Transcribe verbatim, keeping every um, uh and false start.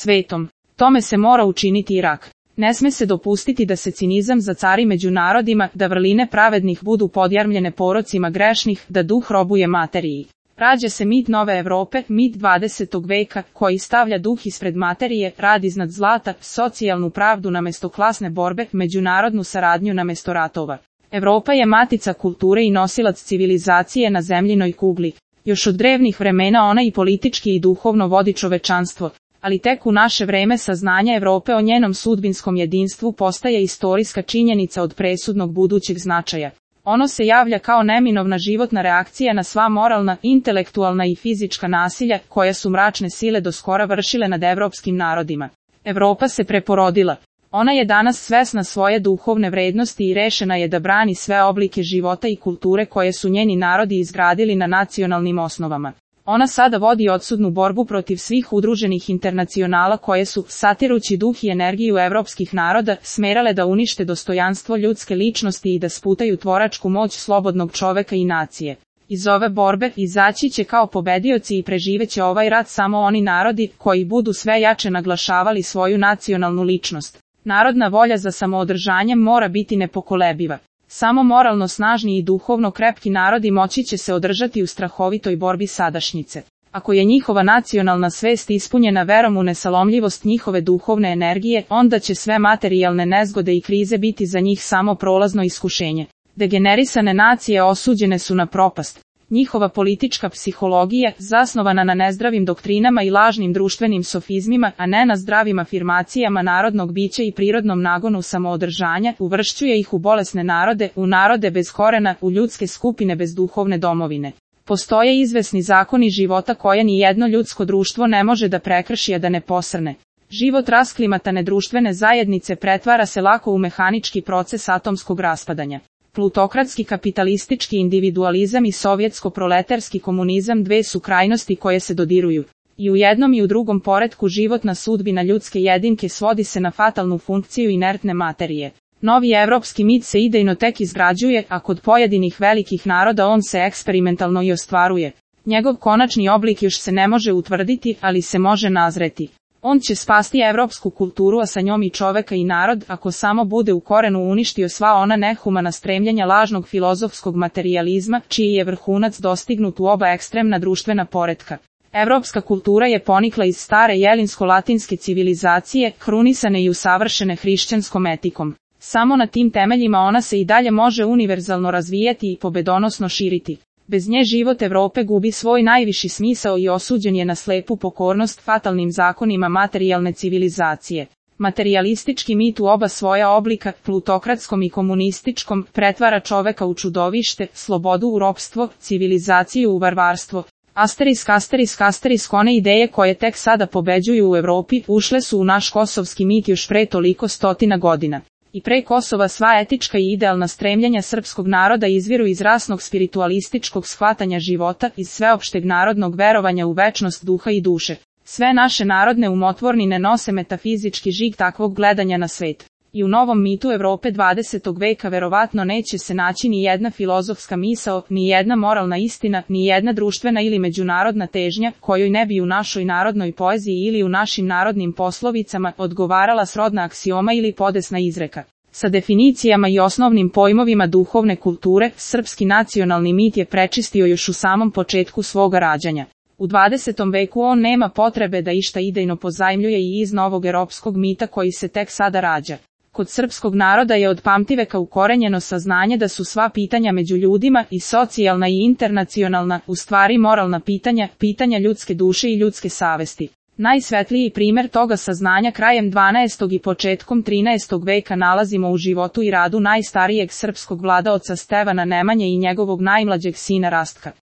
svetom. Tome se mora učiniti Irak. Ne sme se dopustiti da se cinizam zacari među narodima, da vrline pravednih budu podjarmljene porocima grešnih, da duh robuje materiji. Rađa se mit nove Evrope, mit dvadesetog veka, koji stavlja duh ispred materije, rad iznad zlata, socijalnu pravdu namesto klasne borbe, međunarodnu saradnju namesto ratova. Evropa je matica kulture i nosilac civilizacije na zemljinoj kugli. Još od drevnih vremena ona i politički i duhovno vodi čovečanstvo, ali tek u naše vreme saznanja Evrope o njenom sudbinskom jedinstvu postaje istorijska činjenica od presudnog budućeg značaja. Ono se javlja kao neminovna životna reakcija na sva moralna, intelektualna i fizička nasilja, koja su mračne sile do skora vršile nad evropskim narodima. Evropa se preporodila. Ona je danas svesna svoje duhovne vrednosti i rešena je da brani sve oblike života i kulture koje su njeni narodi izgradili na nacionalnim osnovama. Ona sada vodi odsudnu borbu protiv svih udruženih internacionala koje su, satirući duh i energiju evropskih naroda, smerale da unište dostojanstvo ljudske ličnosti i da sputaju tvoračku moć slobodnog čoveka i nacije. Iz ove borbe izaći će kao pobedioci i preživeće ovaj rat samo oni narodi koji budu sve jače naglašavali svoju nacionalnu ličnost. Narodna volja za samoodržanjem mora biti nepokolebiva. Samo moralno snažni i duhovno krepki narodi moći će se održati u strahovitoj borbi sadašnjice. Ako je njihova nacionalna svest ispunjena verom u nesalomljivost njihove duhovne energije, onda će sve materijalne nezgode i krize biti za njih samo prolazno iskušenje. Degenerisane nacije osuđene su na propast. Njihova politička psihologija, zasnovana na nezdravim doktrinama i lažnim društvenim sofizmima, a ne na zdravim afirmacijama narodnog bića i prirodnom nagonu samoodržanja, uvršćuje ih u bolesne narode, u narode bez korena, u ljudske skupine bez duhovne domovine. Postoje izvesni zakoni života koje ni jedno ljudsko društvo ne može da prekrši, a da ne posrne. Život rasklimatane društvene zajednice pretvara se lako u mehanički proces atomskog raspadanja. Plutokratski kapitalistički individualizam i sovjetsko-proletarski komunizam dve su krajnosti koje se dodiruju. I u jednom i u drugom poretku životna sudbina ljudske jedinke svodi se na fatalnu funkciju inertne materije. Novi evropski mit se idejno tek izgrađuje, a kod pojedinih velikih naroda on se eksperimentalno i ostvaruje. Njegov konačni oblik još se ne može utvrditi, ali se može nazreti. On će spasti evropsku kulturu, a sa njom i čoveka i narod, ako samo bude u korenu uništio sva ona nehumana stremljenja lažnog filozofskog materijalizma, čiji je vrhunac dostignut u oba ekstremna društvena poretka. Evropska kultura je ponikla iz stare jelinsko-latinske civilizacije, krunisane i usavršene hrišćanskom etikom. Samo na tim temeljima ona se i dalje može univerzalno razvijati i pobedonosno širiti. Bez nje život Evrope gubi svoj najviši smisao i osuđen je na slepu pokornost fatalnim zakonima materijalne civilizacije. Materijalistički mit u oba svoja oblika, plutokratskom i komunističkom, pretvara čoveka u čudovište, slobodu u ropstvo, civilizaciju u varvarstvo. Asterisk, asterisk, asterisk, one ideje koje tek sada pobeđuju u Evropi, ušle su u naš kosovski mit još pre toliko stotina godina. I pre Kosova sva etička i idealna stremljenja srpskog naroda izviru iz rasnog spiritualističkog shvatanja života, iz sveopšteg narodnog verovanja u večnost duha i duše. Sve naše narodne umotvornine nose metafizički žig takvog gledanja na svet. I u novom mitu Evrope dvadesetog veka verovatno neće se naći ni jedna filozofska misao, ni jedna moralna istina, ni jedna društvena ili međunarodna težnja, kojoj ne bi u našoj narodnoj poeziji ili u našim narodnim poslovicama odgovarala srodna aksioma ili podesna izreka. Sa definicijama i osnovnim pojmovima duhovne kulture, srpski nacionalni mit je prečistio još u samom početku svoga rađanja. U dvadesetom veku on nema potrebe da išta idejno pozajmljuje i iz novog europskog mita koji se tek sada rađa. Kod srpskog naroda je od pamtiveka ukorenjeno saznanje da su sva pitanja među ljudima, i socijalna i internacionalna, u stvari moralna pitanja, pitanja ljudske duše i ljudske savesti. Najsvetliji primer toga saznanja krajem dvanaestog i početkom trinaestog veka nalazimo u životu i radu najstarijeg srpskog vladaoca Stevana Nemanje i njegovog najmlađeg sina Rastka.